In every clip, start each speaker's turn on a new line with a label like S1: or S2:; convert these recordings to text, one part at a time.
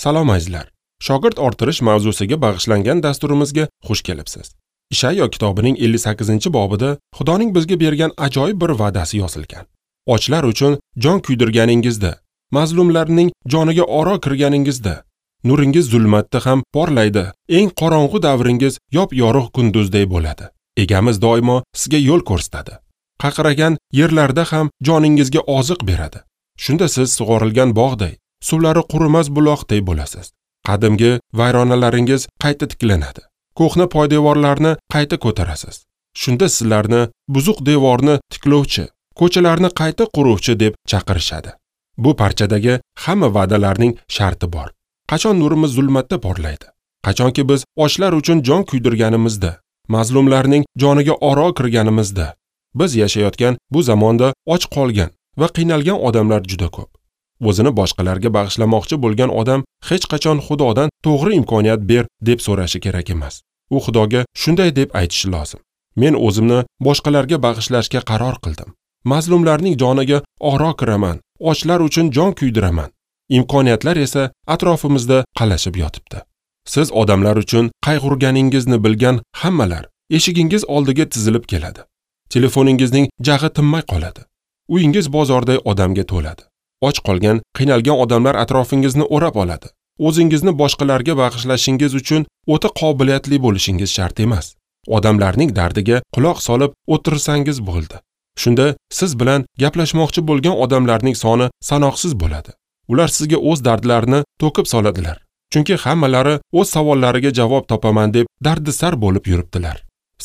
S1: Salom azizlar. Shogird orttirish mavzusiga bag'ishlangan dasturimizga xush kelibsiz. Ishayo kitobining 58-bobida Xudoning bizga bergan ajoyib bir va'dasi yozilgan. Ochlar uchun jon kuydirganingizda, mazlumlarning joniga oro kirganingizda, nuringiz zulmatda ham porlaydi. Eng qorong'u davringiz yop-yorug' kunduzday bo'ladi. Egamiz doimo sizga yo'l ko'rsatadi. Qaqragan yerlarda ham joningizga oziq beradi. Shunda siz sug'orilgan bog'day, suvlari qurimas buloqday bo'lasiz. Qadimgi vayronalaringiz qayta tiklanadi. Ko'hna poydevorlarni qayta ko'tarasiz. Shunda sizlarni buzuq devorni tiklovchi, ko'chalarni qayta quruvchi deb chaqirishadi. Bu parchadagi hamma va'dalarning sharti bor. Qachon nurimiz zulmatda porlaydi? Qachonki biz ochlar uchun jon kuydirganimizda, mazlumlarning joniga oro kirganimizda. Biz yashayotgan bu zamonda och qolgan va qiynalgan odamlar juda ko'p. O'zini boshqalarga bag'ishlamoqchi bo'lgan odam hech qachon Xudodan to'g'ri imkoniyat ber deb so'rashi kerak emas. U Xudoga shunday deb aytishi lozim: Men o'zimni boshqalarga bag'ishlashga qaror qildim. Mazlumlarning joniga oro kiraman, ochlar uchun jon kuydiraman. Imkoniyatlar esa atrofimizda qalashib yotibdi. Siz odamlar uchun qayg'urganingizni bilgan hammalar eshigingiz oldiga tizilib keladi. Telefoningizning jag'i tinmay qoladi. Uyingiz bozorday odamga to'ladi. Och qolgan, qiynalgan odamlar atrofingizni o'rab oladi. O'zingizni boshqalarga bag'ishlashingiz uchun o'ta qobiliyatli bo'lishingiz shart emas. Odamlarning dardiga quloq solib o'tirsangiz bo'ldi. Shunda siz bilan gaplashmoqchi bo'lgan odamlarning soni sanoqsiz bo'ladi. Ular sizga o'z dardlarini to'kib soladilar. Chunki hammalari o'z savollariga javob topaman deb dardisar bo'lib yuribdilar.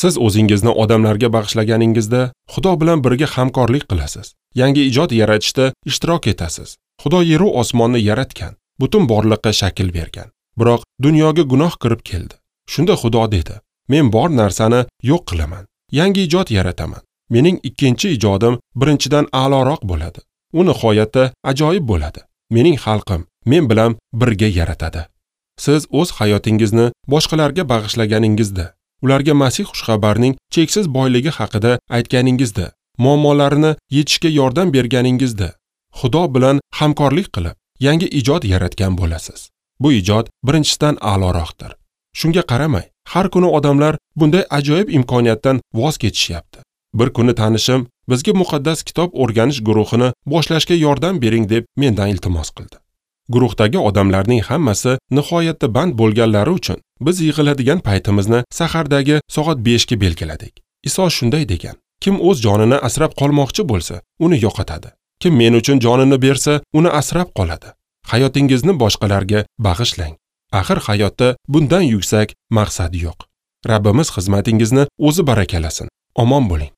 S1: Siz o'zingizni odamlarga bag'ishlaganingizda Xudo bilan birga hamkorlik qilasiz. Yangi ijod yaratishda ishtirok etasiz. Xudo yer va osmonni yaratgan, butun borliqqa shakl bergan. Biroq dunyoga gunoh kirib keldi. Shunda Xudo dedi: Men bor narsani yo'q qilaman. Yangi ijod yarataman. Mening ikkinchi ijodim birinchidan a'loroq bo'ladi. U nihoyatda ajoyib bo'ladi. Mening xalqim men bilan birga yaratadi. Siz o'z hayotingizni boshqalarga bag'ishlaganingizda, ularga Masih xushxabarining cheksiz boyligi haqida aytganingizda, muammolarini yechishga yordam berganingizda, Xudo bilan hamkorlik qilib, yangi ijod yaratgan bo'lasiz. Bu ijod birinchisidan a'loroqdir. Shunga qaramay, har kuni odamlar bunday ajoyib imkoniyatdan voz kechishyapti. Bir kuni tanishim bizga muqaddas kitob o'rganish guruhini boshlashga yordam bering deb mendan iltimos qildi. Guruhdagi odamlarning hammasi nihoyatda band bo'lganlari uchun biz yig'iladigan paytimizni sahardagi soat 5 ga belgiladik. Iso shunday degan: Kim o'z jonini asrab qolmoqchi bo'lsa, uni yo'qotadi. Kim men uchun jonini bersa, uni asrab qoladi. Hayotingizni boshqalarga bag'ishlang. Axir hayotda bundan yuksak maqsad yo'q. Rabbimiz xizmatingizni o'zi barakalasin. Omon bo'ling.